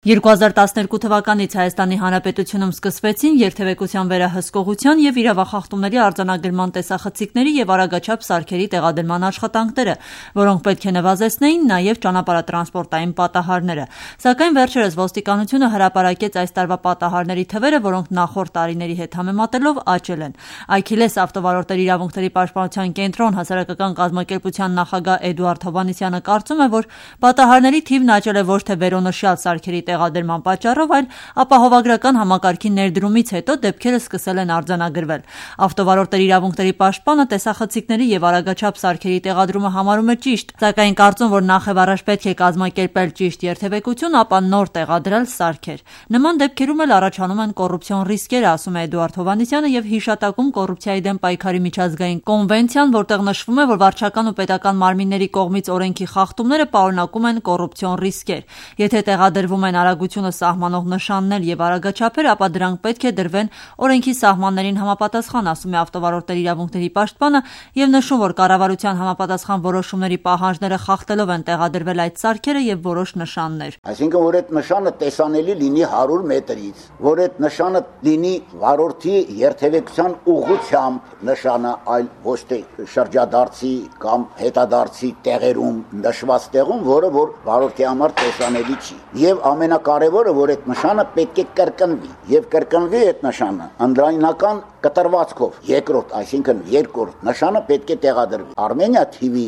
2012 թվականից Հայաստանի Հանրապետությունում սկսվեցին երթևեկության վերահսկողության և իրավախախտումների արձանագրման տեսախցիկների և արագաչափ սարքերի տեղադրման աշխատանքները, որոնք պետք է նվազեցնեին նաև ճանապարհատրանսպորտային պատահարները, սակայն վերջերս ոստիկանությունը հրապարակեց այս տարվա պատահարների թվերը, որոնք նախորդ տարիների հետ համեմատելով աճել են։ Այքիլես ավտովարորդների իրավունքների պաշտպանության կենտրոն հասարակական կազմակերպության նախագահ Էդուարդ Հովհաննիսյանը կարծում է, որ պատահարների թիվն աճել է ոչ թե վերոնշյալ սարքերի տեղադրման պատճառով, այլ ապահովագրական համակարգի ներդրումից հետո դեպքերը սկսել են արձանագրվել։ Ավտովարորդների իրավունքների պաշտպանը տեսախցիկների և արագաչափ սարքերի տեղադրումը համարում է ճիշտ, սակայն կարծում, որ նախևառաջ պետք է կազմակերպել ճիշտ երթևեկություն, ապա նոր տեղադրել սարքեր։ Նման դեպքերում էլ առաջանում են կոռուպցիոն ռիսկեր, ասում է Էդուարդ Հովհաննիսյանը և հիշատակում կոռուպցիայի դեմ պայքարի միջազգային կոնվենցիան, որտեղ նշվում է, որ վարչական ու պետական մարմինների կողմից օրենքի խախտումները պարունակում են կոռուպցիոն ռիսկեր։ Եթե տեղադրվում են արագությունը սահմանող նշաններ և արագաչափեր, ապա դրանք պետք է դրվեն օրենքի սահմաններին համապատասխան, ասում է ավտովարորդների իրավունքների պաշտպանը և նշում, որ կառավարության համապատասխան որոշումների պահանջները խախտելով են տեղադրվել այդ սարքերը և որոշ նշաններ։ Այսինքն, որ այդ նշանը տեսանելի լինի 100 մետրից, որ այդ նշանը լինի վարորդի երթևեկության ուղղությամբ նշանը, այլ ոչ թե շրջադարձի կամ հետադարձի տեղերում նշված տեղում, որը որ վարորդի համար տեսանելի չի։ Եվ ամենակարևորը, որ այդ նշանը պետք է կրկնվի եւ կրկնվի այդ նշանը ընդրայնական կտրվածքով, երկրորդ, այսինքն երկրորդ նշանը պետք է տեղադրվի։ Արմենիա TV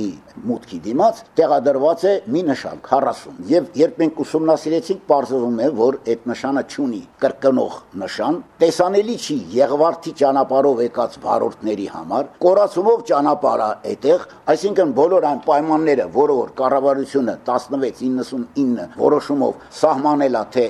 մուտքի դիմաց տեղադրված է մի նշան 40 եւ երբ մենք ուսումնասիրեցինք, պարզվում է, որ այդ նշանը չունի կրկնող նշան, տեսանելի չի Եղվարդի ճանապարհով եկած վարորդների համար, կորացումով ճանապարհը այդտեղ, այսինքն բոլոր այն պայմանները, որը որ կառավարությունը 1699 որոշումով սահմանել է, թե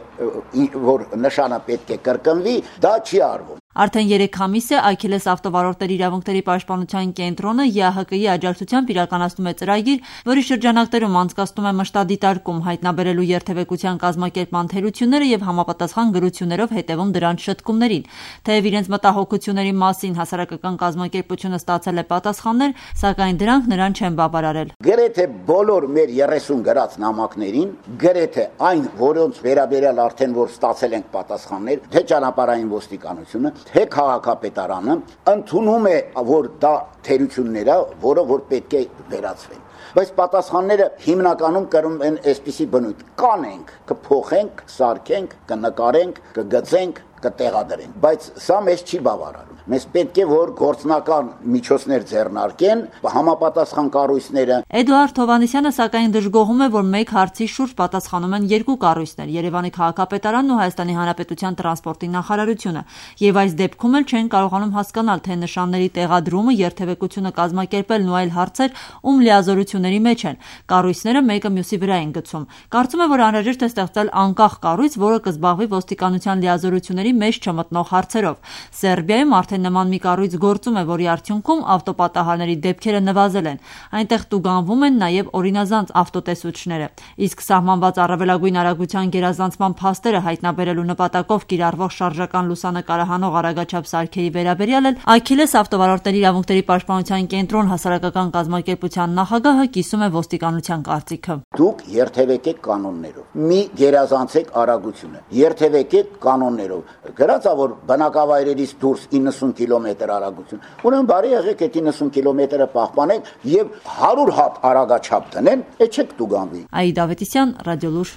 որ նշանը պետք է կրկնվի, դա չի արվում։ Արդեն 3 ամիս է Այքիլես ավտովարորդների իրավունքների պաշտպանության կենտրոնը ԵԱՀԿ-ի աջակցությամբ իրականացնում է ծրագիր, որի շրջանակներում անցկացնում է մշտադիտարկում, հայտնաբերելու երթևեկության կազմակերպման թերությունները և համապատասխան գրություններով հետևում դրանց շտկումներին։ Թեև իրենց մտահոգությունների մասին հասարակական կազմակերպությունը ստացել է պատասխաններ, սակայն դրանք նրան չեն բավարարել։ Գրեթե բոլոր մեր 30 գրած նամակներին, գրեթե այն, որոնց վերաբերյալ արդեն որ ստացել ենք պատասխաններ, թե ճանապարհային ոստիկանությունը, թե քաղաքապետարանը ընդունում է, որ դա թերություններ է, որը որ պետք է վերացվեն։ Բայց պատասխանները հիմնականում կրում են այսպիսի բնույթ. կանենք, կփոխենք, կսարքենք, կնկարենք, կգծենք, կտեղադրենք, բայց սա մեզ չի բավարարում։ Մեզ պետք է որ գործնական միջոցներ ձեռնարկեն համապատասխան կառույցները։ Էդուարդ Հովհաննիսյանը սակայն դժգոհում է, որ մեկ հարցի շուրջ պատասխանում են 2 կառույցներ՝ Երևանի քաղաքապետարանն ու Հայաստանի Հանրապետության տրանսպորտի նախարարությունը, եւ այս դեպքում էլ չեն կարողանում հասկանալ, թե նշանների տեղադրումը, երթևեկությունը կազմակերպելն ու այլ հարցեր ում լիազորությունների մեջ են։ Կառույցները մեկը մյուսի վրա են գցում։ Կարծում է, որ անհրաժեշտ է ստեղծել անկախ կառույց, որը կզբաղվի ոստիկանության լիազորությունների մեջ չմտնող հարցերով։ Սերբիայում արդեն նման մի կառույց գործում է, որի արդյունքում ավտոպատահարների դեպքերը նվազել են։ Այնտեղ տուգանվում են նաև օրինազանց ավտոտեսուչները։ Իսկ սահմանված առավելագույն արագության գերազանցման փաստերը հայտնաբերելու նպատակով կիրառվող շարժական լուսանկարահանող արագաչափ սարքերի վերաբերյալ էլ Այքիլես ավտովարորդների իրավունքների պաշտպանության կենտրոն հասարակական կազմակերպության նախագահը կիսում է ոստիկանության կարծիքը։ Դուք երթևեկեք կանոններով։ Մի գերազանցեք արագությունը։ Երթևեկեք կանոններով։ Գրած է, որ բնակավայրերից դուրս 90 կիլոմետր արագություն։ Ուրեմն բարի եղեք այդ 90 կիլոմետրը պահպանեք եւ 100 հատ արագաչափ տնեն, այդ չեք տուգանվի։ Այդա Ավետիսյան, Ռադիոլուր։